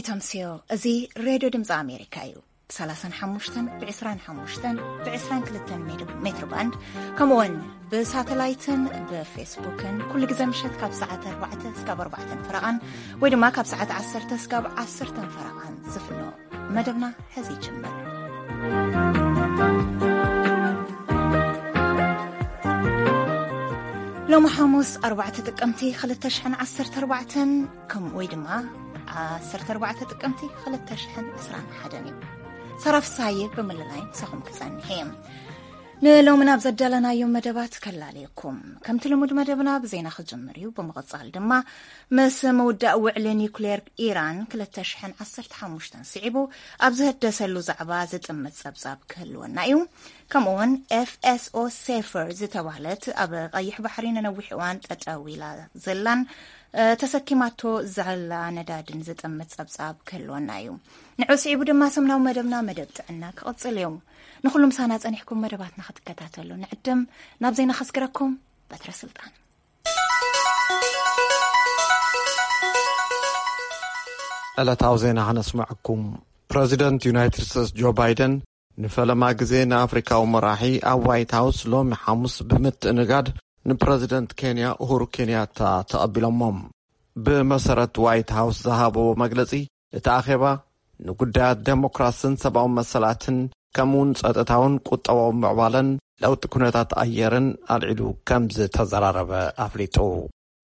ተምስዮ፣ እዚ ሬድዮ ድምፂ ኣሜሪካ እዩ። ብ35፣ ብ25፣ ብ22 ሜትር ባንድ፣ ከምኡውን ብሳተላይትን ብፌስቡክን ኩሉ ግዜ ምሸት ካብ ሰዓት ኣርባዕተ እስካብ ኣርባዕተን ፈረቓን፣ ወይ ድማ ካብ ሰዓት ዓሰርተ እስካብ ዓሰርተን ፈረቓን ዝፍኖ መደብና ሕዚ ይጅምር። ሎሚ ሓሙስ ኣርባዕተ ጥቅምቲ ክልተ ሽሕን ዓሰርተ ኣርባዕተን፣ ከም ወይ ድማ ዓሰርተ ኣርባዕተ ጥቅምቲ ክልተ ሽሕን ዕስራን ሓደን እዩ። ሰራፍ ሳየ ብምልላይ ምሳኹም ክጸንሕ እየ። ንሎሚ ናብ ዘዳለናዮ መደባት ከላልየኩም። ከምቲ ልሙድ መደብና ብዜና ክጅምር እዩ። ብምቕጻል ድማ ምስ ምውዳእ ውዕሊ ኒውክሌር ኢራን ክልተ ሽሕን ዓሰርተ ሓሙሽተን ስዒቡ ኣብ ዝህደሰሉ ዛዕባ ዝጥምት ጸብጻብ ክህልወና እዩ። ከምኡውን ኤፍ ኤስ ኦ ሴፈር ዝተባህለት ኣብ ቀይሕ ባሕሪ ንነዊሕ እዋን ጠጠው ኢላ ዘላን፣ እ፣ ተሰኪማቶ ዘላ ነዳድን ዝጥምት ጸብጻብ ክህልወና እዩ። ንዑ ስዒቡ ድማ ሰሙናዊ መደብና መደብ ጥዕና ክቕጽል እዩ። ንኹሉ ምሳና ጸኒሕኩም መደባትና ክትከታተሉ ንዕድም። ናብ ዜና ከስግረኩም በትረ ስልጣን። ዕለታዊ ዜና ከነስምዐኩም። ፕረዚደንት ዩናይትድ ስቴትስ ጆ ባይደን ንፈለማ ግዜ ንኣፍሪካዊ መራሒ ኣብ ዋይት ሃውስ ሎሚ ሓሙስ ብምትእንጋድ ንፕረዚደንት ኬንያ ኡሁሩ ኬንያታ ተቐቢሎሞም። ብመሰረት ዋይት ሃውስ ዝሃበዎ መግለጺ፣ እቲ ኣኼባ ንጉዳያት ዴሞክራስን ሰብኣዊ መሰላትን ከምኡውን ጸጥታውን ቁጠባዊ ምዕባለን ለውጢ ኩነታት ኣየርን ኣልዒሉ ከም ዝተዘራረበ ኣፍሊጡ።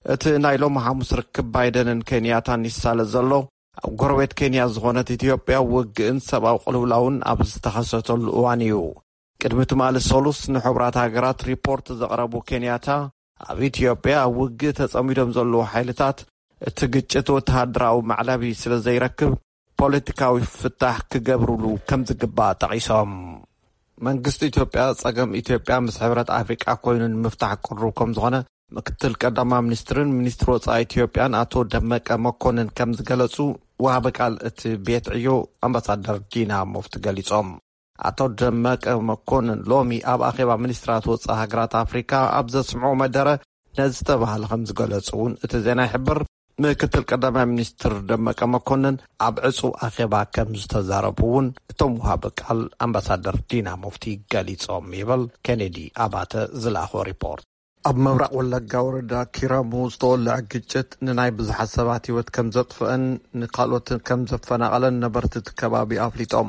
እቲ ናይ ሎሚ ሓሙስ ርክብ ባይደንን ኬንያታን ይሳለ ዘሎ፣ ኣብ ጎረቤት ኬንያ ዝኾነት ኢትዮጵያ ውግእን ሰብኣዊ ቅልውላውን ኣብ ዝተኸሰተሉ እዋን እዩ። ቅድሚ ትማሊ ሰሉስ ንሕቡራት ሃገራት ሪፖርት ዘቕረቡ ኬንያታ፣ ኣብ ኢትዮጵያ ኣብ ውግእ ተጸሚዶም ዘለዉ ሓይልታት እቲ ግጭት ወተሃደራዊ ማዕለቢ ስለ ዘይረክብ፣ ፖለቲካዊ ፍታሕ ክገብሩሉ ከም ዝግባእ ጠቒሶም። መንግስቲ ኢትዮጵያ፣ ጸገም ኢትዮጵያ ምስ ሕብረት ኣፍሪቃ ኮይኑ ንምፍታሕ ቅሩብ ከም ዝኾነ ምክትል ቀዳማይ ሚኒስትርን ሚኒስትር ወጻኢ ኢትዮጵያን ኣቶ ደመቀ መኮንን ከም ዝገለጹ፣ ወሃቢ ቃል እቲ ቤት ዕዮ ኣምባሳደር ዲና ሙፍቲ ገሊጾም። ኣቶ ደመቀ መኮንን ሎሚ ኣብ ኣኼባ ሚኒስትራት ወጻኢ ሃገራት ኣፍሪካ ኣብ ዘስምዖ መደረ፣ ነዚ ዝተባህለ ከም ዝገለጹ እውን እቲ ዜና ይሕብር። ምክትል ቀዳማይ ሚኒስትር ደመቀ መኮንን ኣብ ዕጹው ኣኼባ ከም ዝተዛረቡ እውን እቶም ወሃቢ ቃል ኣምባሳደር ዲና ሙፍቲ ገሊጾም ይብል ኬኔዲ ኣባተ ዝለኣኾ ሪፖርት። ኣብ ምብራቕ ወለጋ ወረዳ ኪረሙ ዝተወልዐ ግጭት ንናይ ብዙሓት ሰባት ህይወት ከም ዘጥፍአን ንካልኦት ከም ዘፈናቐለን ነበርቲ እቲ ከባቢ ኣፍሊጦም።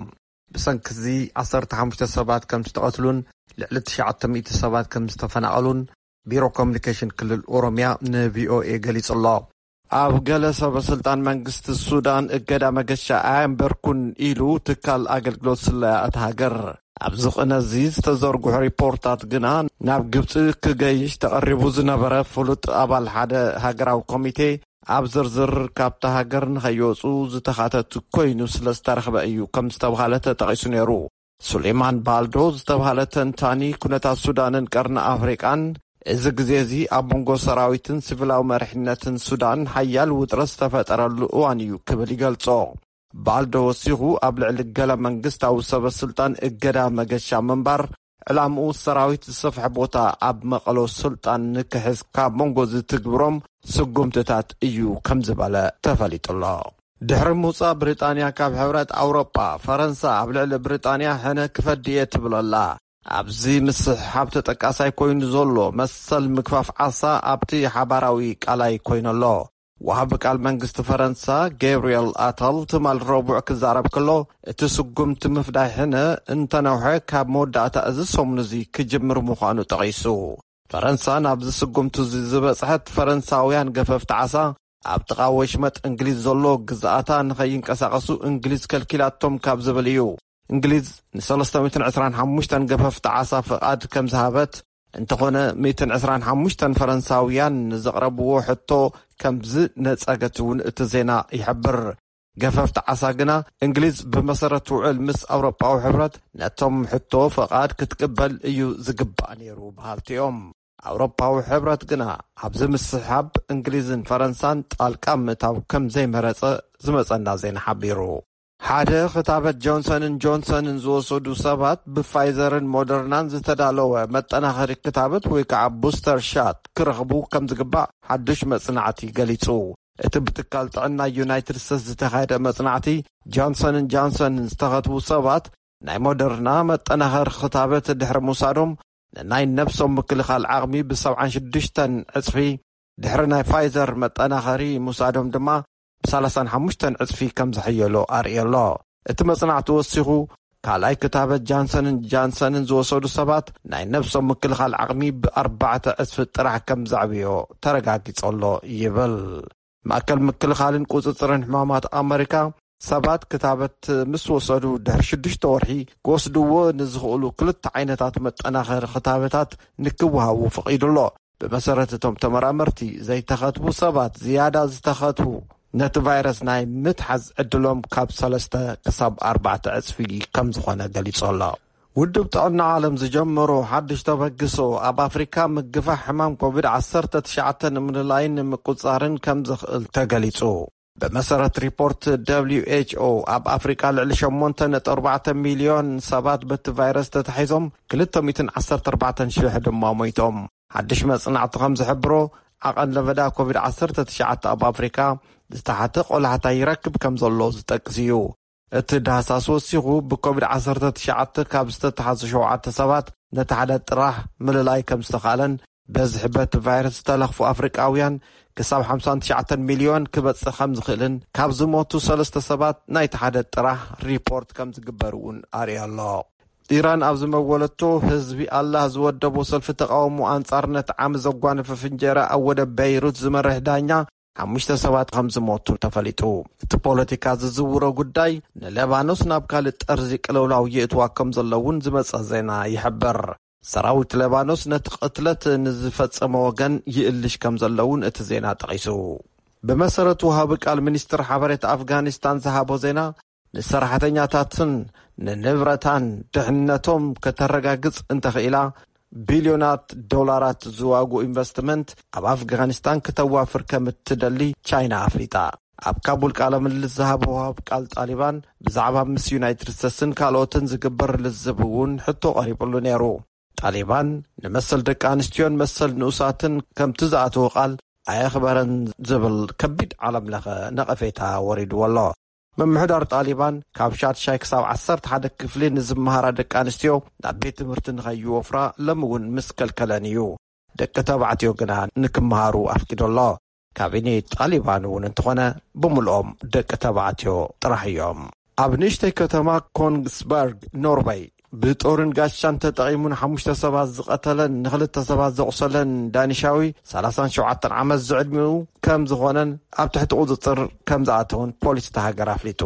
ብሰንኪ እዚ ዓሰርተ ሓሙሽተ ሰባት ከም ዝተቐትሉን ልዕሊ ትሽዓተ ሚእቲ ሰባት ከም ዝተፈናቐሉን ቢሮ ኮሚኒኬሽን ክልል ኦሮምያ ንቪኦኤ ገሊጹ ኣሎ። ኣብ ገለ ሰበ ስልጣን መንግስቲ ሱዳን እገዳ መገሻ ኣየንበርኩን ኢሉ ትካል ኣገልግሎት ስለያ እታ ሃገር። ኣብዚ ቅነ እዚ ዝተዘርግሑ ሪፖርታት ግና፣ ናብ ግብጺ ክገይሽ ተቐሪቡ ዝነበረ ፍሉጥ ኣባል ሓደ ሃገራዊ ኮሚቴ፣ ኣብ ዝርዝር ካብታ ሃገር ንኸይወጹ ዝተኻተቱ ኮይኑ ስለ ዝተረኽበ እዩ ከም ዝተባሃለ ተጠቒሱ ነይሩ። ሱሌማን ባልዶ ዝተባሃለ ተንታኒ ኩነታት ሱዳንን ቀርኒ ኣፍሪቃን፣ እዚ ግዜ እዚ ኣብ መንጎ ሰራዊትን ሲቪላዊ መሪሕነትን ሱዳን ሓያል ውጥረት ዝተፈጠረሉ እዋን እዩ ክብል ይገልጾ። ባልዶ ወሲኹ፣ ኣብ ልዕሊ ገለ መንግስታዊ ሰበ ስልጣን እገዳ መገሻ ምንባር፣ ዕላምኡ ሰራዊት ዝሰፍሐ ቦታ ኣብ መቐሎ ስልጣን ንክሕዝ ካብ መንጎ ዝትግብሮም ስጉምትታት እዩ ከም ዝበለ ተፈሊጡ ኣሎ። ድሕሪ ምውጻእ ብሪጣንያ ካብ ሕብረት ኣውሮጳ፣ ፈረንሳ ኣብ ልዕሊ ብሪጣንያ ሕነ ክፈዲ እየ ትብል ኣላ። ኣብዚ ምስሕሓብ ተጠቃሳይ ኮይኑ ዘሎ መሰል ምግፋፍ ዓሳ ኣብቲ ሓባራዊ ቃላይ ኮይኑ ኣሎ። ወሃቢ ቃል መንግስቲ ፈረንሳ ገብርኤል ኣታል ትማል ረቡዕ ክዛረብ ከሎ፣ እቲ ስጉምቲ ምፍዳይ ሕነ እንተነውሐ ካብ መወዳእታ እዚ ሰሙን እዚ ክጅምር ምዃኑ ጠቒሱ። ፈረንሳ ናብዚ ስጉምቲ እዚ ዝበጽሐት፣ ፈረንሳውያን ገፈፍቲ ዓሳ ኣብ ጥቓ ወሽመጥ እንግሊዝ ዘሎ ግዝኣታ ንኸይንቀሳቐሱ እንግሊዝ ከልኪላቶም ካብ ዝብል እዩ። እንግሊዝ ንሰለስተ ሚእትን ዕስራን ሓሙሽተን ገፈፍቲ ዓሳ ፍቓድ ከም ዝሃበት፣ እንተኾነ ሚእትን ዕስራን ሓሙሽተን ፈረንሳውያን ንዘቕረብዎ ሕቶ ከም ዝነጸገት እውን እቲ ዜና ይሕብር። ገፈፍቲ ዓሳ ግና፣ እንግሊዝ ብመሰረት ውዕል ምስ ኣውሮጳዊ ሕብረት ነቶም ሕቶ ፍቓድ ክትቅበል እዩ ዝግባእ ነይሩ በሃልቲ እዮም። ኣውሮጳዊ ሕብረት ግና ኣብዚ ምስሕሓብ እንግሊዝን ፈረንሳን ጣልቃ ምእታው ከም ዘይመረጸ ዝመጸና ዜና ሓቢሩ። ሓደ ክታበት ጆንሰንን ጆንሰንን ዝወሰዱ ሰባት ብፋይዘርን ሞደርናን ዝተዳለወ መጠናኸሪ ክታበት ወይ ከዓ ቡስተር ሻት ክረኽቡ ከም ዝግባእ ሓዱሽ መጽናዕቲ ገሊጹ። እቲ ብትካል ጥዕና ዩናይትድ ስቴትስ ዝተኻየደ መጽናዕቲ፣ ጆንሰንን ጆንሰንን ዝተኸትቡ ሰባት ናይ ሞደርና መጠናኸሪ ክታበት ድሕሪ ምውሳዶም፣ ንናይ ነብሶም ምክልኻል ዓቕሚ ብ76 ዕጽፊ፣ ድሕሪ ናይ ፋይዘር መጠናኸሪ ምውሳዶም ድማ ብ35 ዕጽፊ ከም ዘሐየሎ ኣርእዮ ኣሎ። እቲ መጽናዕቲ ወሲኹ፣ ካልኣይ ክታበት ጃንሰንን ጃንሰንን ዝወሰዱ ሰባት ናይ ነብሶም ምክልኻል ዓቕሚ ብኣርባዕተ ዕጽፊ ጥራሕ ከም ዘዕብዮ ተረጋጊጾ ኣሎ ይብል። ማእከል ምክልኻልን ቁጽጽርን ሕማማት ኣመሪካ፣ ሰባት ክታበት ምስ ወሰዱ ድሕሪ ሽዱሽተ ወርሒ ክወስድዎ ንዝኽእሉ ክልተ ዓይነታት መጠናኸሪ ክታበታት ንክወሃቡ ፈቒዱ ኣሎ። ብመሰረት እቶም ተመራመርቲ፣ ዘይተኸትቡ ሰባት ዝያዳ ዝተኸትቡ ነቲ ቫይረስ ናይ ምትሓዝ ዕድሎም ካብ ሰለስተ ክሳብ ኣርባዕተ ዕጽፊ ከም ዝኾነ ገሊጹ ኣሎ። ውድብ ጥዕና ዓለም ዝጀመሮ ሓድሽ ተበግሶ፣ ኣብ ኣፍሪካ ምግፋሕ ሕማም ኮቪድ ዓሰርተ ትሽዓተ ንምልላይን ንምቁጻርን ከም ዘኽእል ተገሊጹ። ብመሰረት ሪፖርት ደብሊው ኤች ኦ፣ ኣብ ኣፍሪካ ልዕሊ ሸሞንተ ነጥቢ ኣርባዕተ ሚልዮን ሰባት በቲ ቫይረስ ተታሒዞም፣ ክልተ ሚእትን ዓሰርተ ኣርባዕተን ሽሕ ድማ ሞይቶም። ሓድሽ መጽናዕቲ ከም ዝሕብሮ፣ ዓቐን ለበዳ ኮቪድ ዓሰርተ ትሽዓተ ኣብ ኣፍሪካ ዝተሓተ ቆላሕታ ይረክብ ከም ዘሎ ዝጠቅስ እዩ። እቲ ዳህሳስ ወሲኹ፣ ብኮቪድ ዓሰርተ ትሽዓተ ካብ ዝተተሓዙ ሸውዓተ ሰባት ነቲ ሓደ ጥራሕ ምልላይ ከም ዝተኻለን፣ በዝሒ በቲ ቫይረስ ዝተለኽፉ ኣፍሪቃውያን ክሳብ ሓምሳን ትሽዓተን ሚልዮን ክበጽእ ከም ዝኽእልን፣ ካብ ዝሞቱ ሰለስተ ሰባት ናይቲ ሓደ ጥራሕ ሪፖርት ከም ዝግበር እውን ኣርእዮ ኣሎ። ኢራን ኣብ ዝመወለቶ፣ ህዝቢ ኣላህ ዝወደቦ ሰልፊ ተቃውሞ ኣንጻር ነቲ ዓሚ ዘጓነፈ ፍንጀራ ኣብ ወደብ በይሩት ዝመርሕ ዳኛ፣ ሓሙሽተ ሰባት ከም ዝሞቱ ተፈሊጡ። እቲ ፖለቲካ ዝዝውሮ ጉዳይ፣ ንለባኖስ ናብ ካልእ ጠርዚ ቅልውላው የእትዋ ከም ዘሎ እውን ዝመጸ ዜና ይሕብር። ሰራዊት ለባኖስ ነቲ ቅትለት ንዝፈጸመ ወገን ይእልሽ ከም ዘሎ እውን እቲ ዜና ጠቒሱ። ብመሰረት ወሃቢ ቃል ሚኒስትር ሓበሬታ ኣፍጋኒስታን ዝሃቦ ዜና፣ ንሰራሕተኛታትን ንንብረታን ድሕነቶም ከተረጋግጽ እንተኽኢላ፣ ቢልዮናት ዶላራት ዝዋግኡ ኢንቨስትመንት ኣብ ኣፍጋኒስታን ክተዋፍር ከም እትደሊ ቻይና ኣፍሊጣ። ኣብ ካቡል ቃለ ምልልስ ዝሃበ ወሃብ ቃል ጣሊባን፣ ብዛዕባ ምስ ዩናይትድ ስቴትስን ካልኦትን ዝግበር ልዝብ እውን ሕቶ ቀሪብሉ ነይሩ። ጣሊባን፣ ንመሰል ደቂ ኣንስትዮን መሰል ንኡሳትን ከምቲ ዝኣተወ ቃል ኣየኽበረን ዝብል ከቢድ ዓለም ለኸ ነቐፌታ ወሪድዎ ኣሎ። ምምሕዳር ጣሊባን፣ ካብ ሻድሻይ ክሳብ ዓሰርተ ሓደ ክፍሊ ንዝመሃራ ደቂ ኣንስትዮ ናብ ቤት ትምህርቲ ንኸይወፍራ ሎሚ እውን ምስ ከልከለን እዩ። ደቂ ተባዕትዮ ግና ንክመሃሩ ኣፍቂዱ ኣሎ። ካቢኔ ጣሊባን እውን እንተኾነ፣ ብምልኦም ደቂ ተባዕትዮ ጥራሕ እዮም። ኣብ ንእሽተይ ከተማ ኮንግስበርግ፣ ኖርወይ፣ ብጦርን ጋሻን ተጠቒሙ ንሓሙሽተ ሰባት ዝቐተለን ንኽልተ ሰባት ዘቑሰለን ዳኒሻዊ፣ ሰላሳን ሸውዓተን ዓመት ዝዕድሚኡ ከም ዝኾነን ኣብ ትሕቲ ቁጽጽር ከም ዝኣተውን ፖሊስ እታ ሃገር ኣፍሊጡ።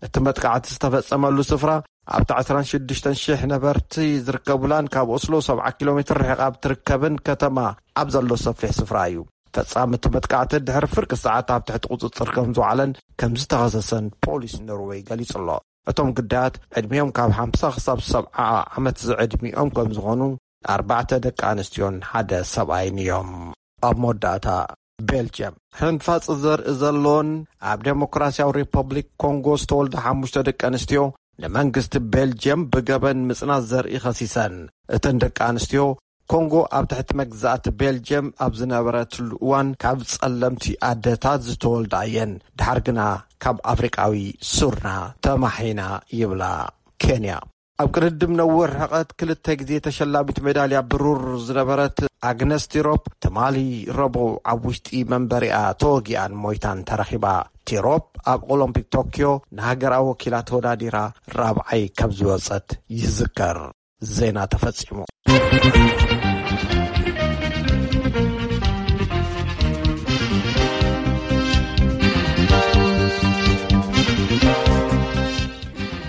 እቲ መጥቃዕቲ ዝተፈጸመሉ ስፍራ ኣብታ ዕስራን ሽዱሽተን ሽሕ ነበርቲ ዝርከቡላን ካብ ኦስሎ ሰብዓ ኪሎ ሜትር ርሒቓ ኣብ ትርከብን ከተማ ኣብ ዘሎ ሰፊሕ ስፍራ እዩ። ፈጻሚ እቲ መጥቃዕቲ ድሕሪ ፍርቂ ሰዓት ኣብ ትሕቲ ቁጽጽር ከም ዝወዓለን ከም ዝተኸሰሰን ፖሊስ ኖርወይ ገሊጹ ኣሎ። እቶም ግዳያት ዕድሚኦም ካብ ሓምሳ ክሳብ ሰብዓ ዓመት ዝዕድሚኦም ከም ዝኾኑ፣ ኣርባዕተ ደቂ ኣንስትዮን ሓደ ሰብኣይን እዮም። ኣብ መወዳእታ፣ ቤልጅየም፣ ሕንፋጽ ዘርኢ ዘለዎን ኣብ ዴሞክራሲያዊ ሪፐብሊክ ኮንጎ ዝተወልዳ ሓሙሽተ ደቂ ኣንስትዮ፣ ንመንግስቲ ቤልጅየም ብገበን ምጽናት ዘርኢ ከሲሰን። እተን ደቂ ኣንስትዮ፣ ኮንጎ ኣብ ትሕቲ መግዛእቲ ቤልጅየም ኣብ ዝነበረትሉ እዋን ካብ ጸለምቲ ኣደታት ዝተወልዳ እየን። ድሓር ግና ካብ ኣፍሪቃዊ ሱርና ተማሒና ይብላ። ኬንያ፣ ኣብ ቅድድም ነዊሕ ርሕቀት ክልተ ግዜ ተሸላሚት ሜዳልያ ብሩር ዝነበረት ኣግነስ ቲሮፕ፣ ትማሊ ረቡዕ ኣብ ውሽጢ መንበሪኣ ተወጊኣን ሞይታን ተረኺባ። ቲሮፕ ኣብ ኦሎምፒክ ቶኪዮ ንሃገራ ወኪላ ተወዳዲራ ራብዓይ ከም ዝወጸት ይዝከር። ዜና ተፈጺሙ።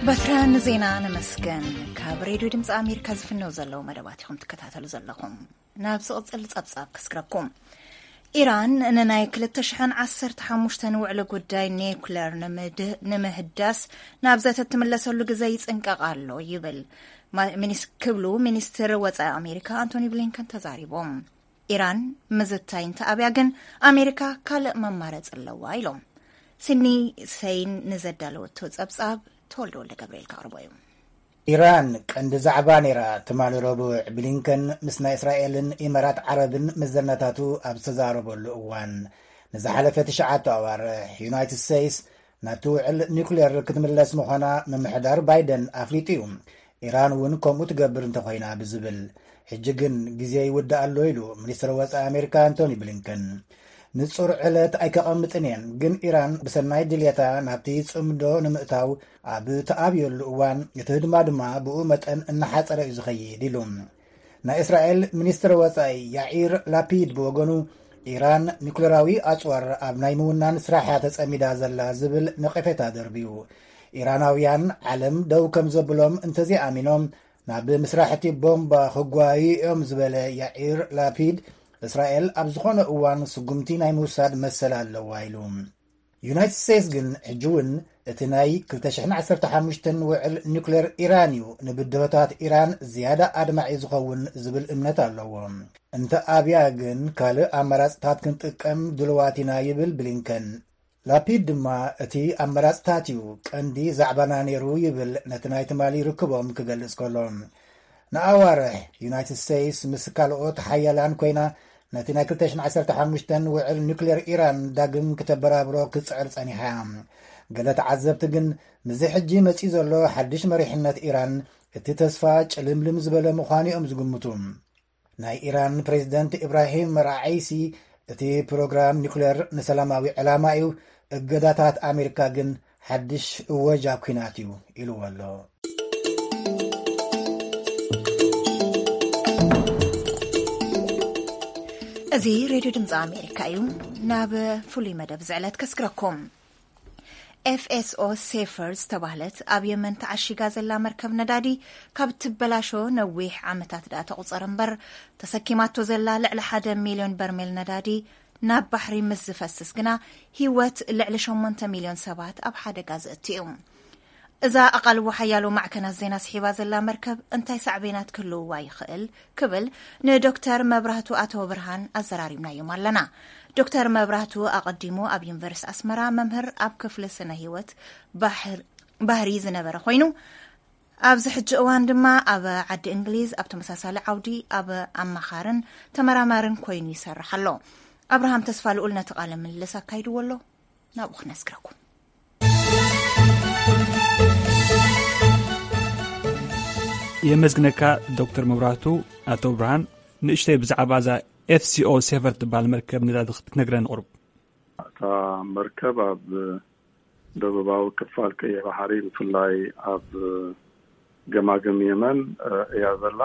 በትረ፣ ንዜና ነመስገን። ካብ ሬድዮ ድምፂ ኣሜሪካ ዝፍነው ዘለዉ መደባት ኢኹም ትከታተሉ ዘለኹም። ናብ ዝቕጽል ጸብጻብ ክስግረኩም። ኢራን ንናይ ክልተ ሽሕን ዓሰርተ ሓሙሽተን ውዕሊ ጉዳይ ኒውክለር ንምድ-፣ ንምህዳስ ናብ ዘተ ትምለሰሉ ግዘ ይጽንቀቕ ኣሎ ይብል ማ-፣ ሚኒስ-፣ ክብሉ ሚኒስትር ወጻኢ ኣሜሪካ ኣንቶኒ ብሊንከን ተዛሪቦም። ኢራን ምዝታይ እንተኣብያ ግን ኣሜሪካ ካልእ መማረጺ ኣለዋ ኢሎም። ሲድኒ ሰይን ንዘዳለወቶ ጸብጻብ ተወልደ ወልደ ገብርኤል ከቕርቦ እዩ። ኢራን ቀንዲ ዛዕባ ነይራ። ትማሊ ረቡዕ ብሊንከን ምስ ናይ እስራኤልን ኢመራት ዓረብን መዘናታቱ ኣብ ዝተዛረበሉ እዋን፣ ንዝሓለፈ ትሽዓተ ኣዋርሕ ዩናይትድ ስቴትስ ናብቲ ውዕል ኒውክሌር ክትምለስ ምዃና ምምሕዳር ባይደን ኣፍሊጡ እዩ። ኢራን እውን ከምኡ ትገብር እንተኾይና ብዝብል። ሕጂ ግን ግዜ ይውዳእ ኣሎ ኢሉ ሚኒስትር ወፃኢ ኣሜሪካ ኣንቶኒ ብሊንከን። ንጹር ዕለት ኣይከቐምጥን እየን፣ ግን ኢራን ብሰናይ ድልየታ ናብቲ ጽምዶ ንምእታው ኣብ ተኣብየሉ እዋን፣ እቲ ህድማ ድማ ብኡ መጠን እናሓጸረ እዩ ዝኸይድ ኢሉ። ናይ እስራኤል ሚኒስትር ወጻኢ ያኢር ላፒድ ብወገኑ፣ ኢራን ኒኩለራዊ ኣጽዋር ኣብ ናይ ምውናን ስራሓ ተጸሚዳ ዘላ ዝብል ነቐፌታ ደርብዩ። ኢራናውያን ዓለም ደው ከም ዘብሎም እንተዘይኣሚኖም፣ ናብ ምስራሕቲ ቦምባ ክጓዩ እዮም ዝበለ ያኢር ላፒድ፣ እስራኤል ኣብ ዝኾነ እዋን ስጉምቲ ናይ ምውሳድ መሰል ኣለዋ ኢሉ። ዩናይትድ ስቴትስ ግን ሕጂ እውን እቲ ናይ ክልተ ሽሕን ዓሰርተ ሓሙሽተን ውዕል ኒውክሌር ኢራን እዩ ንብድሆታት ኢራን ዝያዳ ኣድማዒ ዝኸውን ዝብል እምነት ኣለዎ። እንተ ኣብያ ግን ካልእ ኣማራፅታት ክንጥቀም ድልዋት ኢና ይብል ብሊንከን። ላፒድ ድማ እቲ ኣማራፅታት እዩ ቀንዲ ዛዕባና ነይሩ ይብል ነቲ ናይ ትማሊ ርክቦም ክገልፅ ከሎ። ንኣዋርሕ ዩናይትድ ስቴትስ ምስ ካልኦት ሓያላን ኮይና ነቲ ናይ ክልተ ሽሕን ዓሰርተ ሓሙሽተን ውዕል ኒውክሌር ኢራን ዳግም ክተበራብሮ ክትፅዕር ጸኒሓ እያ። ገለ ተዓዘብቲ ግን ምስዚ ሕጂ መጺኡ ዘሎ ሓድሽ መሪሕነት ኢራን እቲ ተስፋ ጭልምልም ዝበለ ምዃኑ እዮም ዝግምቱ። ናይ ኢራን ፕሬዝደንት ኢብራሂም ራዓይሲ እቲ ፕሮግራም ኒውክሌር ንሰላማዊ ዕላማ እዩ፣ እገዳታት ኣሜሪካ ግን ሓድሽ እወጃ ኲናት እዩ ኢልዎ ኣሎ። እዚ ሬድዮ ድምፂ ኣሜሪካ እዩ። ናብ ፍሉይ መደብ ዝዕለት ከስግረኩም። ኤፍኤስኦ ሴፈር ዝተባህለት ኣብ የመን ተዓሺጋ ዘላ መርከብ ነዳዲ ካብ ትበላሾ ነዊሕ ዓመታት ደኣ ተቑፀረ እምበር፣ ተሰኪማቶ ዘላ ልዕሊ ሓደ ሚልዮን በርሜል ነዳዲ ናብ ባሕሪ ምስ ዝፈስስ ግና፣ ህይወት ልዕሊ ሸሞንተ ሚልዮን ሰባት ኣብ ሓደጋ ዘእቱ እዩ። እዛ ኣቓልቦ ሓያሎ ማዕከናት ዜና ስሒባ ዘላ መርከብ እንታይ ሳዕቤናት ክህልውዋ ይኽእል ክብል ንዶክተር መብራህቱ ኣተወብርሃን ኣዘራሪብናዮም ኣለና። ዶክተር መብራህቱ ኣቐዲሙ ኣብ ዩኒቨርሲቲ ኣስመራ መምህር ኣብ ክፍሊ ስነ ህይወት ባሕር-፣ ባህሪ ዝነበረ ኮይኑ፣ ኣብዚ ሕጂ እዋን ድማ ኣብ ዓዲ እንግሊዝ ኣብ ተመሳሳሊ ዓውዲ ኣብ ኣማኻርን ተመራማርን ኮይኑ ይሰርሕ ኣሎ። ኣብርሃም ተስፋ ልኡል ነቲ ቃለ ምልልስ ኣካይድዎ ኣሎ። ናብኡ ክነስግረኩም። የመስግነካ ዶክተር መብራህቱ። ኣቶ ብርሃን፣ ንእሽተይ ብዛዕባ እዛ ኤፍሲኦ ሴቨር ትበሃል መርከብ ነዳዲ ክትነግረኒ ቁሩብ። እታ መርከብ ኣብ ደቡባዊ ክፋል ቀይሕ ባሕሪ፣ ብፍላይ ኣብ ገማግም የመን፣ እ፣ እያ ዘላ።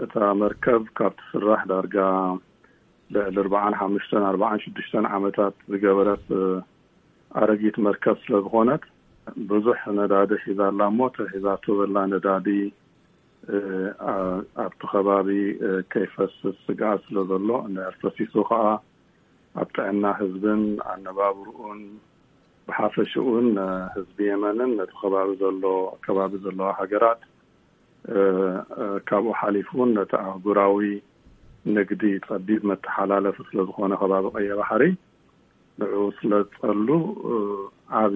እታ መርከብ ካብ ትስራሕ ዳርጋ ልዕሊ ኣርባዓን ሓሙሽተን ኣርባዓን ሽዱሽተን ዓመታት ዝገበረት፣ እ፣ ኣረጊት መርከብ ስለ ዝኾነት፣ ብዙሕ ነዳዲ ሒዛ ኣላ እሞ፣ እቲ ሒዛቶ ዘላ ነዳዲ፣ እ፣ ኣ-፣ ኣብቲ ከባቢ፣ እ፣ ከይፈስስ ስግኣት ስለ ዘሎ፣ እንድሕር ፈሲሱ ኸኣ ኣብ ጥዕና ህዝብን ኣነባብርኡን ብሓፈሽኡን፣ እ፣ ህዝቢ የመንን ነቲ ከባቢ ዘሎ፣ ከባቢ ዘለዋ ሃገራት፣ እ፣ እ፣ ካብኡ ሓሊፉ እውን ነቲ ኣህጉራዊ ንግዲ ጸቢብ መተሓላለፊ ስለ ዝኾነ ከባቢ ቀይሕ ባሕሪ፣ ንዕኡ ስለ ዝጸሉ፣ እ፣ ዓቢ፣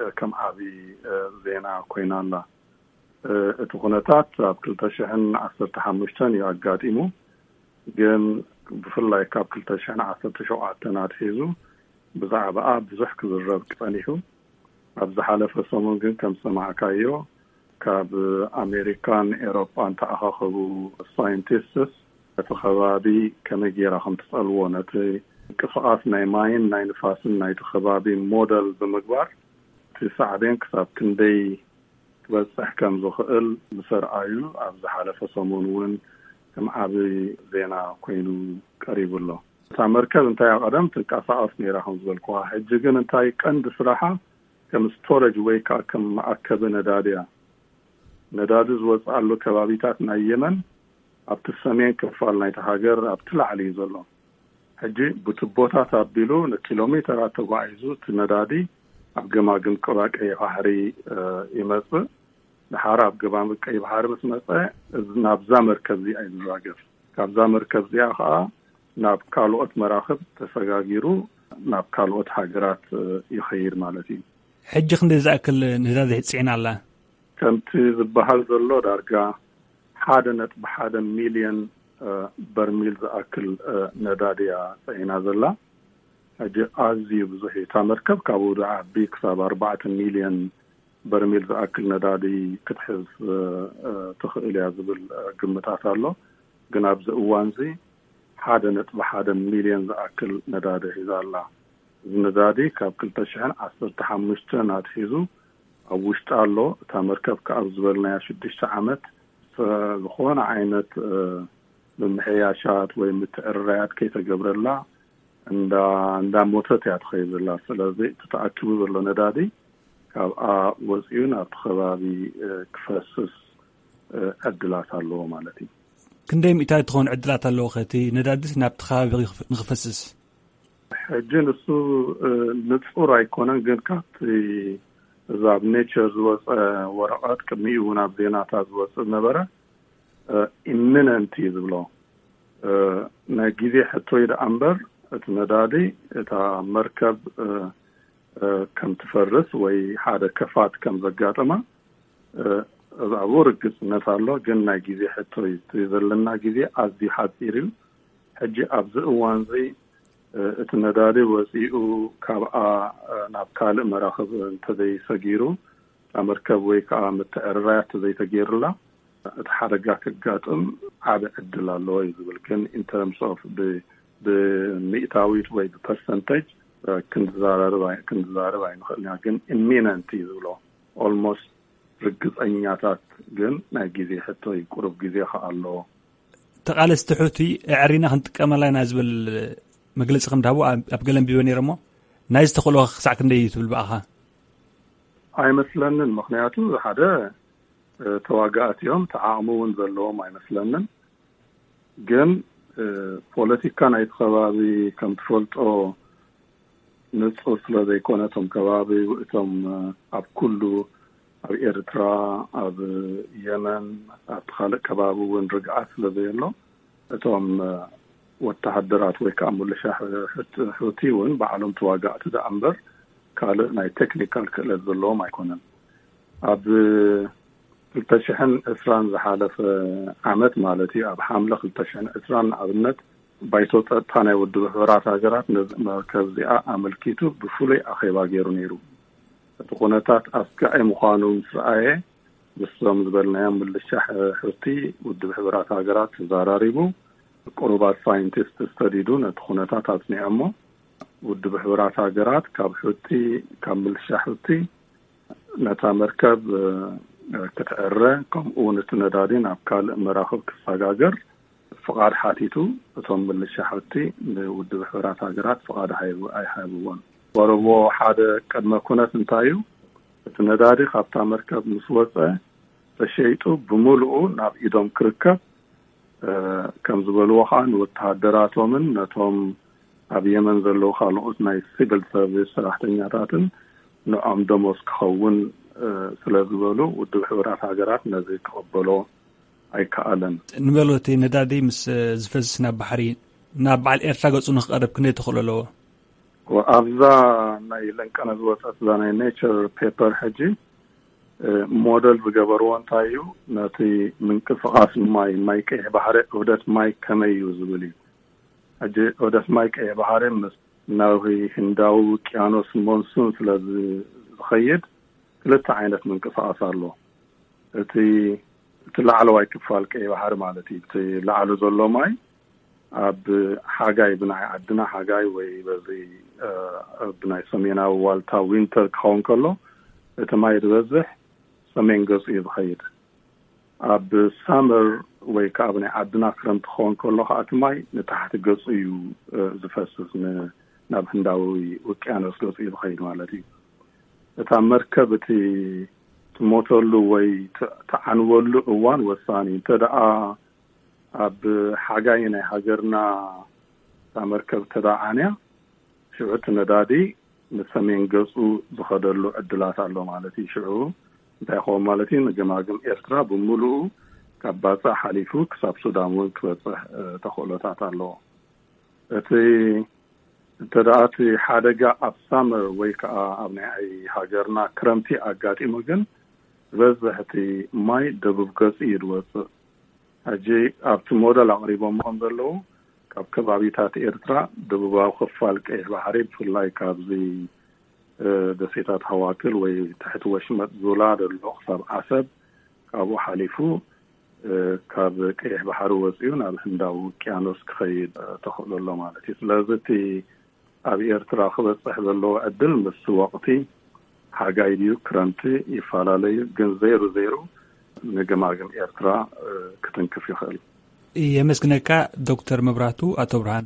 እ፣ ከም ዓቢ፣ እ፣ ዜና ኮይና ኣላ። እ፣ እቲ ኩነታት ኣብ ክልተ ሽሕን ዓሰርተ ሓሙሽተን እዩ ኣጋጢሙ። ግን ብፍላይ ካብ ክልተ ሽሕን ዓሰርተ ሸውዓተን ኣትሒዙ ብዛዕባኣ ብዙሕ ክዝረብ ጸኒሑ። ኣብ ዝሓለፈ ሰሙን ግን ከም ዝሰማዕካዮ፣ ካብ ኣሜሪካን ኤሮጳን ተኣኻኸቡ ሳይንቲስትስ ነቲ ከባቢ ከመይ ጌራ ከም ትጸልዎ፣ ነቲ ምንቅስቓስ ናይ ማይን ናይ ንፋስን ናይቲ ከባቢ ሞደል ብምግባር፣ እቲ ሳዕቤን ክሳብ ክንደይ ክበጽሕ ከም ዝኽእል ምስ ኣርኣዩ፣ ኣብ ዝሓለፈ ሰሙን እውን ከም ዓቢ ዜና ኮይኑ ቀሪቡ ኣሎ። እታ መርከብ እንታይ ቀደም ትንቀሳቐስ ነይራ ከም ዝበልኩዋ፣ ሕጂ ግን እንታይ ቀንዲ ስራሓ ከም ስቶሬጅ ወይ ከኣ ከም መኣከቢ ነዳዲ እያ። ነዳዲ ዝወጽኣሉ ከባቢታት ናይ የመን ኣብቲ ሰሜን ክፋል ናይቲ ሃገር ኣብቲ ላዕሊ እዩ ዘሎ። ሕጂ ብቱቦታት ኣቢሉ ንኪሎ ሜተራት ተጓዒዙ እቲ ነዳዲ ኣብ ገማግም ቀባ ቀይሕ ባሕሪ፣ እ፣ ይመጽእ። ድሓር ኣብ ገማግም ቀይሕ ባሕሪ ምስ መጸ፣ እዚ ናብዛ መርከብ እዚኣ እዩ ዝራገፍ። ካብዛ መርከብ እዚኣ ኸኣ ናብ ካልኦት መራኽብ ተሰጋጊሩ ናብ ካልኦት ሃገራት፣ እ፣ ይኸይድ ማለት እዩ። ሕጂ ክንደይ ዝኣክል ነዳዲ ጽዒና ኣላ? ከምቲ ዝበሃል ዘሎ ዳርጋ ሓደ ነጥቢ ሓደ ሚልዮን፣ እ፣ በርሚል ዝኣክል፣ እ፣ ነዳዲ እያ ጸዒና ዘላ። ሕጂ ኣዝዩ ብዙሕ እዩ። እታ መርከብ ካብ ውድዕ ዓቢ ክሳብ ኣርባዕተ ሚልዮን በርሚል ዝኣክል ነዳዲ ክትሕዝ፣ እ፣ እ፣ ትኽእል እያ ዝብል፣ እ፣ ግምታት ኣሎ። ግን ኣብዚ እዋንዚ ሓደ ነጥቢ ሓደ ሚልዮን ዝኣክል ነዳዲ ሒዛ ኣላ። እዚ ነዳዲ ካብ ክልተ ሽሕን ዓሰርተ ሓሙሽተን ኣትሒዙ ኣብ ውሽጢ ኣሎ። እታ መርከብ ከኣ ኣብ ዝበልናያ ሽዱሽተ ዓመት፣ እ፣ ዝኾነ ዓይነት፣ እ፣ ምምሕያሻት ወይ ምትዕርራያት ከይተገብረላ እንዳ-፣ እንዳሞተት እያ ትኸይድ ዘላ። ስለዚ እቲ ተኣኪቡ ዘሎ ነዳዲ ካብኣ ወፂኡ ናብቲ ከባቢ፣ እ፣ ክፈስስ፣ እ፣ ዕድላት ኣለዎ ማለት እዩ። ክንደይ ሚእታዊት ትኸውን ዕድላት ኣለዎ ከ እቲ ነዳዲስ ናብቲ ከባቢ ንኽፍ-፣ ንኽፈስስ? ሕጂ ንሱ፣ እ፣ ንጹር ኣይኮነን፣ ግን ካብቲ እዛ ኣብ ኔቸር ዝወፀ ወረቐት፣ ቅድሚኡ እውን ኣብ ዜናታት ዝወፅእ ዝነበረ፣ እ፣ ኢሚነንት እዩ ዝብሎ። እ፣ ናይ ግዜ ሕቶ እዩ ደኣ እምበር፣ እቲ ነዳዲ፣ እታ መርከብ፣ እ፣ እ፣ ከም ትፈርስ ወይ ሓደ ከፋት ከም ዘጋጥማ፣ እ፣ ኣብኡ ርግጽነት ኣሎ። ግን ናይ ግዜ ሕቶ እዩ። እቲ ዘለና ግዜ ኣዝዩ ሓጺር እዩ። ሕጂ ኣብዚ እዋንዚ፣ እ፣ እቲ ነዳዲ ወጺኡ ካብኣ፣ እ፣ ናብ ካልእ መራኽብ እንተዘይሰጊሩ፣ እታ መርከብ ወይ ከኣ ምትዕርራይ እንተዘይተገይሩላ፣ እቲ ሓደጋ ከጋጥም ዓቢ ዕድል ኣለዎ እዩ ዝብል። ግን in terms of ብ-፣ ብሚእታዊት ወይ ብፐርሰንቴጅ፣ እ፣ ክንዛረብ ኣይ-፣ ክንዛረብ ኣይንኽእልን ኢና። ግን ኢሚነንት እዩ ዝብሎ። ኦልሞስት ርግጸኛታት፣ ግን ናይ ግዜ ሕቶ እዩ። ቁሩብ ግዜ ከኣ ኣለዎ። ተቓለስቲ ሑቲ ኣዕሪና ክንጥቀመላ ኢና ዝብል መግለጺ ከም ድሃቡ ኣብ፣ ኣብ ገለ ኣንቢበ ነይረ እሞ፣ ናይዚ ተኽእሎ ክሳዕ ክንደይ እዩ ትብል ብኣኻ? ኣይመስለንን። ምኽንያቱ ሓደ፣ እ፣ ተዋጋእቲ እዮም፣ እቲ ዓቕሚ እውን ዘለዎም ኣይመስለንን። ግን፣ እ፣ ፖለቲካ ናይቲ ከባቢ ከም ትፈልጦ ንጹር ስለ ዘይኮነ፣ እቶም ከባቢ፣ እቶም፣ እ፣ ኣብ ኩሉ፣ ኣብ ኤርትራ፣ ኣብ የመን፣ ኣብቲ ካልእ ከባቢ እውን ርግኣት ስለ ዘየሎ፣ እቶም፣ እ፣ ወተሃደራት ወይ ከዓ ምልሻ ሕ-፣ ሕት-፣ ሑቲ እውን ባዕሎም ተዋጋእቲ ደኣ እምበር ካልእ ናይ ቴክኒካል ክእለት ዘለዎም ኣይኮነን። ኣብ ክልተ ሽሕን ዕስራን ዝሓለፈ ዓመት ማለት እዩ፣ ኣብ ሓምለ ክልተ ሽሕን ዕስራን ንኣብነት፣ ባይቶ ጸጥታ ናይ ውድብ ሕቡራት ሃገራት ነዚ መርከብ እዚኣ ኣመልኪቱ ብፍሉይ ኣኼባ ገይሩ ነይሩ። እቲ ኩነታት ኣስጋኢ ምዃኑ ምስ ረኣየ፣ ምስዞም ዝበልናዮም ምልሻ ሕ-፣ ሑቲ ውድብ ሕቡራት ሃገራት ተዘራሪቡ፣ ቅሩባት ሳይንቲስት ሰዲዱ ነቲ ኩነታት ኣጽኒዖሞ። ውድብ ሕቡራት ሃገራት ካብ ሑቲ፣ ካብ ምልሻ ሑቲ ነታ መርከብ፣ እ፣ ክትዕረ፣ ከምኡ እውን እቲ ነዳዲ ናብ ካልእ መራኽብ ክሰጋገር ፍቓድ ሓቲቱ። እቶም ምልሻ ሑቲ ንውድብ ሕቡራት ሃገራት ፍቓድ ሃይቡ-፣ ኣይሃብዎን። ወረቦ ሓደ ቅድመ ኩነት እንታይ እዩ? እቲ ነዳዲ ካብታ መርከብ ምስ ወጸ ተሸይጡ ብምሉኡ ናብ ኢዶም ክርከብ፣ እ፣ ከም ዝበልዎ ኸኣ ንወተሃደራቶምን ነቶም ኣብ የመን ዘለዉ ካልኦት ናይ ሲቪል ሰርቪስ ሰራሕተኛታትን ንዖም ደሞዝ ክኸውን፣ እ፣ ስለ ዝበሉ ውድብ ሕቡራት ሃገራት ነዚ ክቕበሎ ኣይከኣለን። ንበሎ እቲ ነዳዲ ምስ ዝፈስስ ናብ ባሕሪ፣ ናብ በዓል ኤርትራ ገጹ ንክቐርብ ክንደይ ተኽእሎ ኣለዎ? ኣብዛ ናይ ለንቀነ ዝወጸት እዛ ናይ ኔቸር ፔፐር ሕጂ፣ እ፣ ሞደል ዝገበርዎ እንታይ እዩ? ነቲ ምንቅስቓስ ማይ፣ ማይ ቀይሕ ባሕሪ፣ ዑደት ማይ ከመይ እዩ ዝብል እዩ። ሕጂ ዑደት ማይ ቀይሕ ባሕሪ ምስ ናብ ህንዳዊ ውቅያኖስ ሞንሱን ስለ ዝ-፣ ዝኸይድ ክልተ ዓይነት ምንቅስቓስ ኣሎ። እቲ፣ እቲ ላዕለዋይ ክፋል ቀይሕ ባሕሪ ማለት እዩ። እቲ ላዕሉ ዘሎ ማይ ኣብ ሓጋይ ብናይ ዓድና ሓጋይ ወይ በዚ፣ እ፣ ብናይ ሰሜናዊ ዋልታ ዊንተር ክኸውን ከሎ እቲ ማይ ዝበዝሕ ሰሜን ገጹ እዩ ዝኸይድ። ኣብ ሳመር ወይ ከዓ ኣብ ናይ ዓድና ክረምቲ ክኸውን ከሎ ከዓ እቲ ማይ ንታሕቲ ገጹ እዩ፣ እ፣ ዝፈስስ፣ ን-፣ ናብ ህንዳዊ ውቅያኖስ ገጹ እዩ ዝኸይድ ማለት እዩ። እታ መርከብ እቲ ትሞተሉ ወይ ት-፣ ትዓንወሉ እዋን ወሳኒ። እንተ ደኣ ኣብ ሓጋይ ናይ ሃገርና እታ መርከብ ተደኣ ዓንያ፣ ሽዑ እቲ ነዳዲ ንሰሜን ገጹ ዝኸደሉ ዕድላት ኣሎ ማለት እዩ። ሽዑ እንታይ ይኸውን ማለት እዩ? ንገማግም ኤርትራ ብምሉኡ ካብ ባጽዕ ሓሊፉ ክሳብ ሱዳን እውን ክበጽሕ፣ እ፣ ተኽእሎታት ኣለዎ። እቲ እንተ ደኣ እቲ ሓደጋ ኣብ ሳመር ወይ ከኣ ኣብ ናይ ሃገርና ክረምቲ ኣጋጢሙ ግን ዝበዝሕ እቲ ማይ ደቡብ ገጹ እዩ ዝወጽእ። ሕጂ ኣብቲ ሞደል ኣቕሪቦሞ ከም ዘለዉ ካብ ከባቢታት ኤርትራ ደቡባዊ ክፋል ቀይሕ ባሕሪ፣ ብፍላይ ካብዚ ደሴታት ሃዋክል ወይ ትሕቲ ወሽመጥ ዙላ ዘሎ ክሳብ ዓሰብ፣ ካብኡ ሓሊፉ ካብ ቀይሕ ባሕሪ ወፂኡ ናብ ህንዳዊ ውቅያኖስ ክኸይድ ተኽእሎ ኣሎ ማለት እዩ። ስለዚ እቲ ኣብ ኤርትራ ክበፅሕ ዘለዎ ዕድል ምስ ወቕቲ ሓጋይ ድዩ ክረምቲ ይፈላለዩ፣ ግን ዘይሩ ዘይሩ ንገማግም ኤርትራ ክትንክፍ ይኽእል። የመስግነካ ዶክተር መብራቱ። ኣቶ ብርሃን።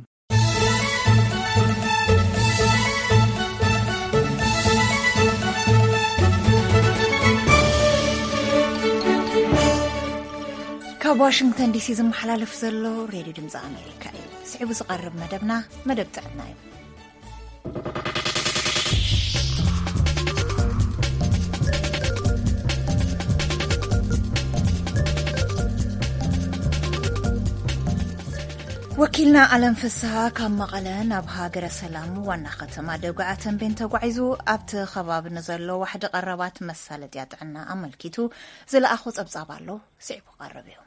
ካብ ዋሽንግተን ዲሲ ዝመሓላለፍ ዘሎ ሬድዮ ድምፂ ኣሜሪካ እዩ። ስዒቡ ዝቐርብ መደብና መደብ ጥዕና እዩ። ወኪልና ኣለም ፍስሃ ካብ መቐለ ናብ ሃገረ ሰላም ዋና ከተማ ደጉዓ ተንቤን ተጓዒዙ ኣብቲ ከባቢ ንዘሎ ዋሕዲ ቀረባት መሳለጥያ ጥዕና ኣመልኪቱ ዝለኣኾ ጸብጻብ ኣሎ። ስዒቡ ቀርብ እዩ።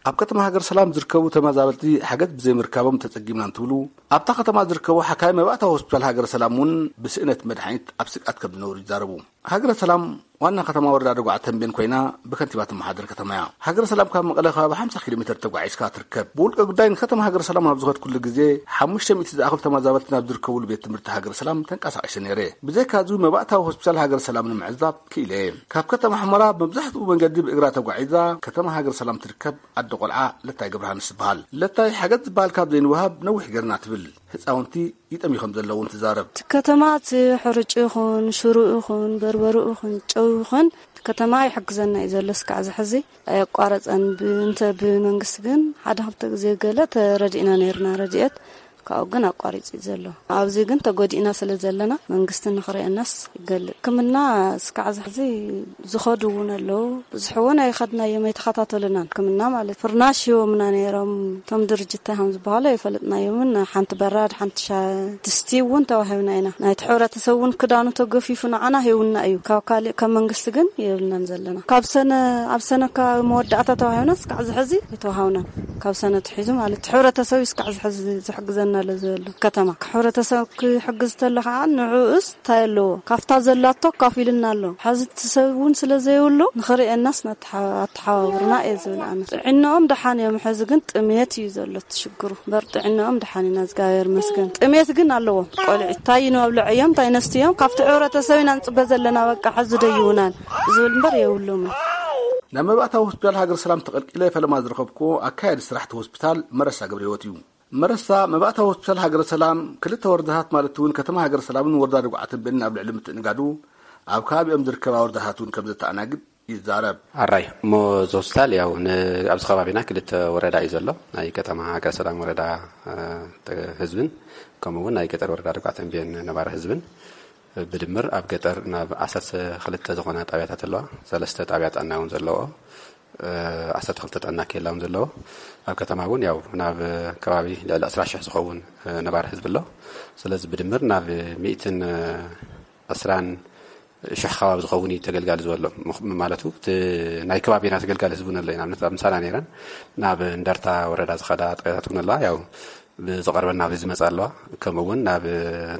ኣብ ከተማ ሃገረ ሰላም ዝርከቡ ተመዛበልቲ ሓገዝ ብዘይምርካቦም ተጸጊምና እንትብሉ፣ ኣብታ ከተማ ዝርከቡ ሓካይ መባእታዊ ሆስፒታል ሃገረ ሰላም እውን ብስእነት መድሓኒት ኣብ ስግኣት ከም ዝነብሩ ይዛረቡ። ሃገረ ሰላም ዋና ከተማ ወረዳ ደጉዓ ተንቤን ኮይና ብከንቲባ ትመሓደር ከተማ እያ። ሃገረ ሰላም ካብ መቐለ ከባቢ ሓምሳ ኪሎ ሜትር ተጓዒዝካ ትርከብ። ብውልቀ ጉዳይ ንከተማ ሃገረ ሰላም ኣብ ዝኸድኩሉ ግዜ ሓሙሽተ ሚእቲ ዝኣኽሉ ተመዛበልቲ ናብ ዝርከብሉ ቤት ትምህርቲ ሃገረ ሰላም ተንቀሳቒሰ ነይረ። ብዘይካዚ መባእታዊ ሆስፒታል ሃገረ ሰላም ንምዕዛብ ክኢለ እየ። ካብ ከተማ ሑመራ መብዛሕትኡ መንገዲ ብእግራ ተጓዒዛ ከተማ ሃገረ ሰላም ትርከብ ኣደ ቆልዓ ለታይ ገብረሃንስ ትበሃል። ለታይ ሓገዝ ዝበሃል ካብ ዘይንወሃብ ነዊሕ ገርና ትብል። ህፃውንቲ ይጠምዩ ከም ዘለውን ትዛረብ። ከተማ እቲ ሕርጭ ይኹን ሽሩ ይኹን በርበሩ ይኹን ጨው ይኹን ከተማ ይሕግዘና እዩ ዘሎ። እስካዕ ዝሕዚ ኣየቋረፀን። እንተ ብመንግስቲ ግን ሓደ ክልተ ግዜ ገለ ተረዲእና ነይርና ረድኤት፣ ካብኡ ግን ኣቋሪፁ እዩ ዘሎ። ኣብዚ ግን ተጎዲእና ስለ ዘለና መንግስቲ ንኽርእየናስ ይገልእ። ሕክምና እስካዕ ዝሕዚ ዝኸዱ እውን ኣለዉ። ብዙሕ እውን ኣይኸድናዮም፣ ኣይተኸታተሉናን። ሕክምና ማለት ፍርናሽ ሂቦምና ነይሮም። እቶም ድርጅት እንታይ ከም ዝበሃሉ ኣይፈለጥናዮምን። ሓንቲ በራድ፣ ሓንቲ ሻ-፣ ድስቲ እውን ተዋሂብና ኢና። ናይቲ ሕብረተሰብ እውን ክዳኑ ተገፊፉ ንዓና ሂቡና እዩ። ካብ ካልእ፣ ካብ መንግስቲ ግን የብልናን ዘለና። ካብ ሰነ፣ ኣብ ሰነ ካብ መወዳእታ ተዋሂብና እስካዕ ዝሕዚ ኣይተዋሃብናን። ካብ ሰነ ትሒዙ ማለት እቲ ሕብረተሰብ እዩ እስካዕ ዝሕዚ ዝሕግዘና ኣሎ ዘሎ ከተማ። ሕብረተሰብ ክሕግዝ ተሎ ከዓ ንዕኡስ እንታይ ኣለዎ? ካብታ ዘላቶ ኣካፊልና ኣሎ። ሕዚ እቲ ሰብ እውን ስለ ዘይብሉ ንኽርእየናስ ነተሓ-፣ ኣተሓባብሩና እየ ዝብል ኣነ። ጥዕናኦም ደሓን እዮም። ሕዚ ግን ጥሜት እዩ ዘሎ እቲ ሽግሩ። በር ጥዕናኦም ደሓን ኢና፣ እግዚኣብሔር ይመስገን። ጥሜት ግን ኣለዎም። ቆልዑ እንታይ ይንብለዕዮም፣ እንታይ ነስትዮም፣ ካብቲ ሕብረተሰብ ኢና ንፅበ ዘለና። በቃ ሕዚ ደይቡናን ዝብል እምበር የብሎምን። ናብ መባእታዊ ሆስፒታል ሃገር ሰላም ተቐልቂለ ፈለማ ዝረኸብኩዎ ኣካያዲ ስራሕቲ ሆስፒታል መረሳ ገብረ ህይወት እዩ። መረሳ መባእታዊ ሆስፒታል ሃገረ ሰላም ክልተ ወረዳታት ማለት እውን ከተማ ሃገረ ሰላምን ወረዳ ደጉዓ ተንቤንን ኣብ ልዕሊ ምትእንጋዱ ኣብ ከባቢኦም ዝርከባ ወረዳታት እውን ከም ዘተኣናግድ ይዛረብ። ኣራይ እሞ እዚ ሆስፒታል ያው ን-፣ ኣብዚ ከባቢና ክልተ ወረዳ እዩ ዘሎ። ናይ ከተማ ሃገረ ሰላም ወረዳ፣ እ፣ ተ-፣ ህዝብን ከምኡ እውን ናይ ገጠር ወረዳ ደጉዓ ተንቤን ነባሪ ህዝብን ብድምር ኣብ ገጠር ናብ ዓሰርተ ክልተ ዝኾና ጣብያታት ኣለዋ። ሰለስተ ጣብያ ጥዕና እውን ዘለዎ፣ እ፣ ዓሰርተ ክልተ ጥዕና ኬላ እውን ዘለዎ። ኣብ ከተማ እውን ያው ናብ ከባቢ ልዕሊ ዕስራ ሽሕ ዝኸውን፣ እ፣ ነባሪ ህዝቢ ኣሎ። ስለዚ ብድምር ናብ ሚእትን ዕስራን ሽሕ ከባቢ ዝኸውን እዩ ተገልጋሊ ዝበሎ። ምኽ-፣ ማለቱ እቲ ናይ ከባቢና ተገልጋሊ ህዝቢ እውን ኣሎ እዩ። ንኣብነት ኣብ ምሳና ነይረን ናብ እንደርታ ወረዳ ዝኸዳ ጣብያታት እውን ኣለዋ። ያው ብዝቐርበን ናብ ዝመጻ ኣለዋ። ከምኡ እውን ናብ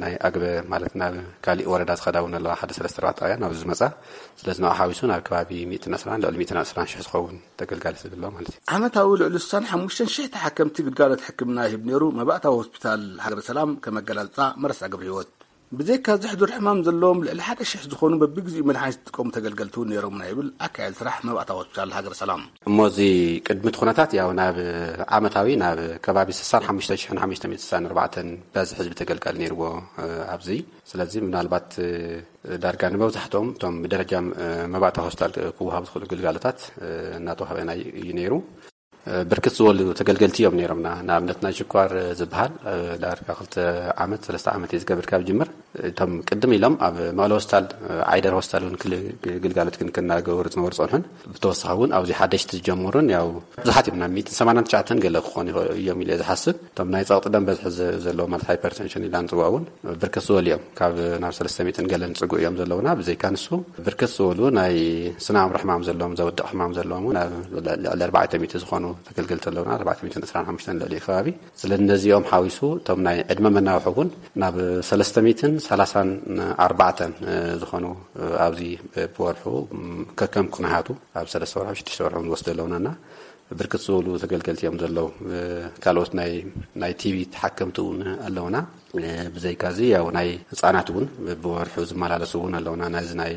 ናይ ኣግበ ማለት ናብ ካሊእ ወረዳ ዝኸዳ እውን ኣለዋ። ሓደ ሰለስተ ኣርባዕተ ጣብያ ናብ ዝመጻ። ስለዚ ንዓ ሓዊሱ ናብ ከባቢ ሚእትን ዕስራን ልዕሊ ሚእትን ዕስራን ሽሕ ዝኸውን ተገልጋሊ ህዝቢ ኣሎ ማለት እዩ። ዓመታዊ ልዕሊ ስሳን ሓሙሽተን ሽሕ ተሓከምቲ ግልጋሎት ሕክምና ይህብ ነይሩ መባእታዊ ሆስፒታል ሃገረ ሰላም ከም ኣገላልጻ መረሳ ገብረ ህይወት። ብዘይካ እዚ ሕዱር ሕማም ዘለዎም ልዕሊ ሓደ ሽሕ ዝኾኑ በብግዜኡ መድሓኒት ዝጥቀሙ ተገልገልቲ እውን ነይሮምና ይብል ኣካያዲ ስራሕ መባእታዊ ሆስፒታል ሃገረ ሰላም። እሞ እዚ ቅድሚ እቲ ኩነታት ያው ናብ ዓመታዊ ናብ ከባቢ ስሳን ሓሙሽተ ሽሕን ሓሙሽተ ሚእትን ስሳን ኣርባዕተን በዚ ህዝቢ ተገልጋሊ ነይርዎ፣ እ፣ ኣብዚ። ስለዚ ምናልባት፣ እ፣ ዳርጋ ንመብዛሕትኦም እቶም ብደረጃ፣ እ፣ መባእታዊ ሆስፒታል ክወሃቡ ዝኽእሉ ግልጋሎታት፣ እ፣ እናተዋህበ ናይ እዩ ነይሩ። እ፣ ብርክት ዝበሉ ተገልገልቲ እዮም ነይሮምና። ንኣብነት ናይ ሽኳር፣ እ፣ ዝበሃል፣ እ፣ ዳርጋ ክልተ ዓመት፣ ሰለስተ ዓመት እዩ ዝገብር ካብ ጅምር። እቶም ቅድም ኢሎም ኣብ መቐለ ሆስፒታል፣ ዓይደር ሆስፒታል እውን ክል-፣ ግልጋሎት ክን-፣ ክናገበሩ ዝነበሩ ጸንሑን፣ ብተወሳኺ እውን ኣብዚ ሓደሽቲ ዝጀመሩን ያው ብዙሓት እዮም፣ ናብ ሚእትን ሰማንያን ትሽዓተን ገለ ክኾኑ ይኽእሉ እዮም ኢለ ዝሓስብ። እቶም ናይ ጸቕጢ ደም በዝሒ ዘ-፣ ዘለዎም፣ ማለት ሃይፐርቴንሽን ኢልና ንጽውዖ እውን ብርክት ዝበሉ እዮም። ካብ ናብ ሰለስተ ሚእትን ገለን ዝጽጉ እዮም ዘለውና። ብዘይካ ንሱ ብርክት ዝበሉ ናይ ስነ ኣእምሮ ሕማም ዘለዎም፣ ዘውድቕ ሕማም ዘለዎም እውን ኣብ ልዕሊ ኣርባዕተ ሚእቲ ዝኾኑ ተገልገልቲ ኣለውና። ኣርባዕተ ሚእትን ዕስራን ሓሙሽተን ልዕሊ ከባቢ። ስለ ነዚኦም ሓዊሱ እቶም ናይ ዕድመ መናውሒ እውን ናብ ሰለስተ ሚእትን ሰላሳን ኣርባዕተን ዝኾኑ ኣብዚ ብወርሑ ከከም ኩነታቱ ኣብ ሰለስተ ወርሑ፣ ሽዱሽተ ወርሑ ንወስዶ ኣለውናና። ብርክት ዝበሉ ተገልገልቲ እዮም ዘለዉ። ካልኦት ናይ፣ ናይ ቲቪ ተሓከምቲ እውን ኣለውና። ብዘይካዚ ያው ናይ ህፃናት እውን ብወርሑ ዝመላለሱ እውን ኣለውና። ናይዚ ናይ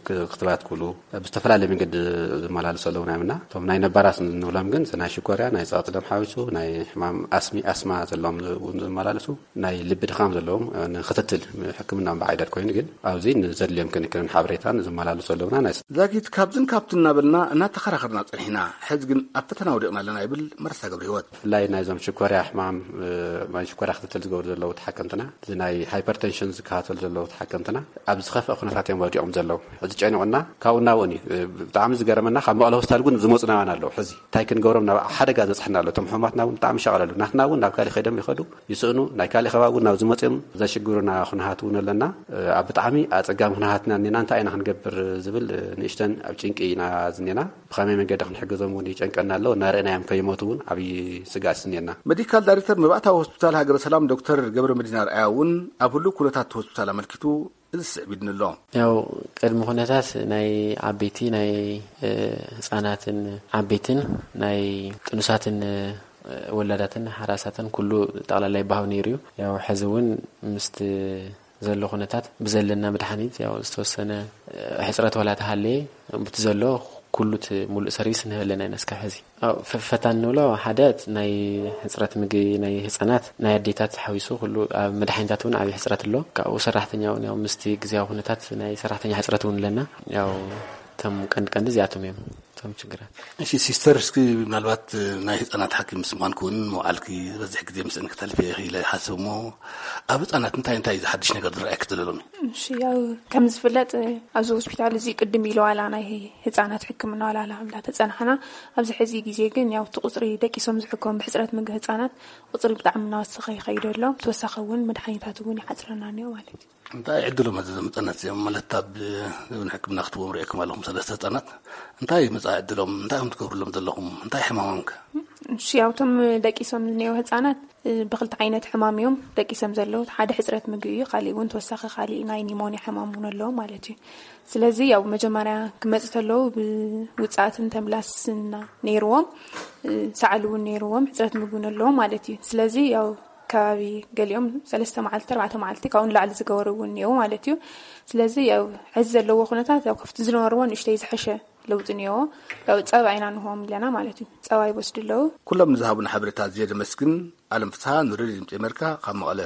ክ-፣ ክትባት ኩሉ ብዝተፈላለየ መንገዲ ዝመላለሱ ኣለውና። ምና እቶም ናይ ነባራት ንብሎም ግን ናይ ሽኮርያ፣ ናይ ጸቕጢ ደም ሓዊሱ፣ ናይ ሕማም ኣስሚ፣ ኣስማ ዘለዎም እውን ዝመላለሱ፣ ናይ ልቢ ድኻም ዘለዎም ንክትትል ሕክምና እምበኣር ዓይደር ኮይኑ ግን ኣብዚ ንዘድልዮም ክንክንን ሓበሬታን ዝመላለሱ ኣለውና። ናይ ዛጊት ካብዝን ካብትን እናበልና እናተኸራኸርና ጸኒሕና። ሕዚ ግን ኣብ ፈተና ወዲቕና ኣለና ይብል መርሳ ገብረ ህይወት። ብፍላይ ናይዞም ሽኮርያ ሕማም፣ እ፣ ናይ ሽኮርያ ክትትል ዝገብሩ ዘለዉ ተሓከምትና፣ እዚ ናይ ሃይፐርቴንሽን ዝከታተሉ ዘለዉ ተሓከምትና ኣብ ዝኸፍአ ኩነታት እዮም ወዲቖም ዘለዉ። ሕዚ ጨኒቑና ካብኡ ናብኡን እዩ። እ፣ ብጣዕሚ ዝገረመና ካብ መቐለ ሆስፒታል እውን ዝመፁና ኣለዉ። ሕዚ እንታይ ክንገብሮም ናብ ሓደጋ ዘብፅሐና ኣሎ። እቶም ሕሙማትና እውን ብጣዕሚ ይሻቐሉ ኣለዉ። ናትና እውን ናብ ካሊእ ከይዶም ይኸዱ፣ ይስእኑ፣ ናይ ካሊእ ከባቢ እውን ናብ ዝመፅኦም ዘሽግሩና ኩነታት እውን ኣለና። እ፣ ኣብ ብጣዕሚ ኣፀጋሚ ኩነታት ኢና እኒና። እንታይ ኢና ክንገብር ዝብል፣ እ፣ ንእሽተን ኣብ ጭንቂ ኢና ዝኒና። ብኸመይ መንገዲ ክንሕግዞም እውን ይጨንቀና ኣሎ። እናረእናዮም ከይሞቱ እውን ዓብዪ ስግኣት ስኒና። ሜዲካል ዳይሬክተር መባእታዊ ሆስፒታል ሃገረ ሰላም ዶክተር ገብረ መዲና ርኣያ እውን ኣብ ህሉው ኩነታት ሆስፒታል ኣመልኪቱ እዚ ስዕብ ኢድኒ ኣሎ። ያው ቅድሚ ኩነታት ናይ ዓበይቲ ናይ፣ እ፣ ህፃናትን ዓበይትን ናይ ጥኑሳትን፣ እ፣ ወላዳትን ሓራሳትን ኩሉ ጠቕላላ ይበሃው ነይሩ እዩ። ያው ሕዚ እውን ምስቲ ዘሎ ኩነታት ብዘለና መድሓኒት ያው ዝተወሰነ፣ እ፣ ሕፅረት ዋላ ተሃለየ፣ ብቲ ዘሎ ኩሉ እቲ ሙሉእ ሰርቪስ ንህበለና ኢና እስካብ ሕዚ። ኣብ ፈ-፣ ፈታን ንብሎ ሓደ ናይ ሕፅረት ምግቢ ናይ ህፃናት፣ ናይ ኣዴታት ሓዊሱ ኩሉ ኣብ መድሓኒታት እውን ዓብዪ ሕፅረት ኣሎ። ካብኡ ሰራሕተኛ እውን ያው ምስቲ ግዜያዊ ኩነታት ናይ ሰራሕተኛ ሕፅረት እውን ኣለና። ያው እቶም ቀንዲ ቀንዲ እዚኣቶም እዮም እቶም ችግራት። እሺ ሲስተር፣ እስኪ ምናልባት ናይ ህፃናት ሓኪም ምስ ምዃንኪ እውን መውዓልኪ ዝበዝሕ ግዜ ምስእን ክተልፊ ኢኺ ኢለ ይሓስብ እሞ፣ ኣብ ህፃናት እንታይ እንታይ ዝሓድሽ ነገር ዝረኣየኪ ዘሎ ኣሎ? እሺ፣ ያው ከም ዝፍለጥ ኣብዚ ሆስፒታል እዚ ቅድም ኢሉ ዋላ ናይ ህፃናት ሕክምና ዋላ እንዳተፀናሕና፣ ኣብዚ ሕዚ ግዜ ግን ያው እቲ ቁፅሪ ደቂሶም ዝሕከሙ ብሕፅረት ምግቢ ህፃናት ቁፅሪ ብጣዕሚ እናወሰኸ ይኸይድ ኣሎ። ተወሳኺ እውን መድሓኒታት እውን ይሓፅረና እኒኦ ማለት እዩ። እንታይ ዕድሎም እዚ ዘምፀነት እዚኦም ማለት ኣብ ሕክምና ክትዎም ርኤኩም ኣለኹም ሰለስተ ህፃናት እንታይ መፃኢ ዕድሎም እንታይ ከም ትገብርሎም ዘለኹም እንታይ ሕማሞም ከ? እሺ፣ ያው እቶም ደቂሶም ዝኒኦ ህፃናት እ፣ ብክልተ ዓይነት ሕማም እዮም ደቂሶም ዘለዉ። ሓደ ሕፅረት ምግቢ እዩ፣ ካሊእ እውን ተወሳኺ ካሊእ ናይ ኒሞንያ ሕማም እውን ኣለዎም ማለት እዩ። ስለዚ ያው መጀመርያ ክመፁ ተለዉ ብውፅኣትን ተምላስን ነይርዎም፣ እ፣ ሰዓል እውን ነይርዎም፣ ሕፅረት ምግቢ እውን ኣለዎም ማለት እዩ። ስለዚ ያው ከባቢ ገሊኦም ሰለስተ መዓልቲ፣ ኣርባዕተ መዓልቲ ካብኡ ንላዕሊ ዝገበሩ እውን እኒአው ማለት እዩ። ስለዚ ያው ሕዚ ዘለዎ ኩነታት ያው ካብቲ ዝነበርዎ ንእሽተይ ዝሐሸ ለውጢ እኒኦ። ያው ጸባ ኢና ንህቦም ኣለና ማለት እዩ። ጸባ ይወስዱ ኣለዉ። ኩሎም ንዝሃቡና ሓበሬታ ኣዝየ ዘመስግን። ኣለም ፍስሃ ንሬድዮ ድምጺ ኣሜሪካ ካብ መቐለ።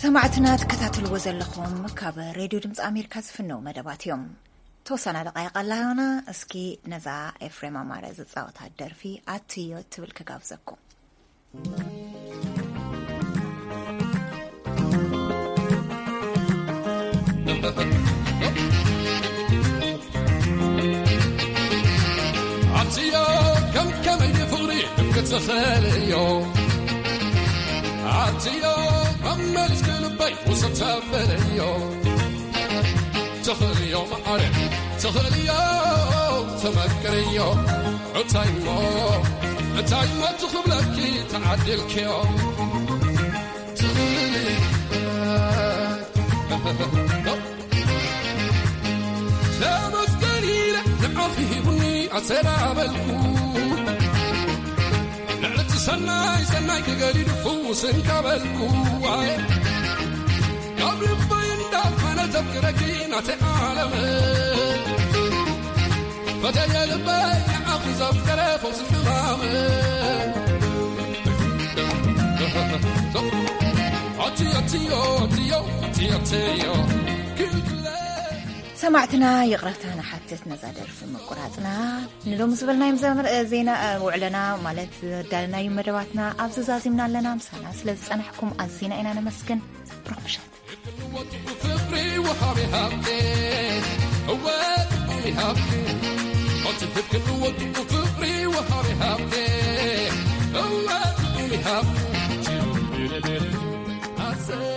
ሰማዕትና ትከታተልዎ ዘለኹም ካብ ሬድዮ ድምፂ ኣሜሪካ ዝፍነው መደባት እዮም። ተወሰና ደቃይቕ ኣላዮና። እስኪ ነዛ ኤፍሬም ኣማረ ዝፃወታ ደርፊ ኣትዮ ትብል ክጋብዘኩም። ኣትዮ ከም ከመይ ፍቕሪ ክትኽእልዮ ኣትዮ መመልስ ክልበይ ውሰድ ተበለዮ ትኽእልዮ መዓረ ትኽእልዮ ተመክርዮ እንታይ እሞ እንታይ እሞ ትኽብለኪ ተዓዲልክዮ ትኽእሊ ተመስገን ኢለ ንዓኺ ሂቡኒ ኣሰላበልኩ ልዕልቲ ሰናይ ሰናይ ክገዲዱ ፍውስ እንካበልኩ ኣየ ካብ ልበይ እንዳፈነ ዘፍቅረኪ ናተይ ዓለም ፈተየ ልበይ ንዓኺ ዘፍቀረ ፈውሲ ሕማም ኣቲ ኣትዮ ኣትዮ ኣትዮ ኣትዮ ክልክለ ሰማዕትና ይቕረታ ንሓትት ነዛ ደርፊ ምቁራጽና። ንሎሚ ዝበልናዮም ዘመር ዜና ውዕለና ማለት ዘዳለናዩ መደባትና ኣብዚ ዛዚምና ኣለና። ምሳና ስለ ዝጸናሕኩም ኣዚና ኢና ነመስግን። ብሩኽ ምሸት። ፍቅሪ ወሃቢ ሃብቴ እወ ፍቅሪ ሃብቴ እቲ ፍቅሪ ወጥቁ ፍቅሪ ወሃቢ ሃብቴ እወ ፍቅሪ ሃብቴ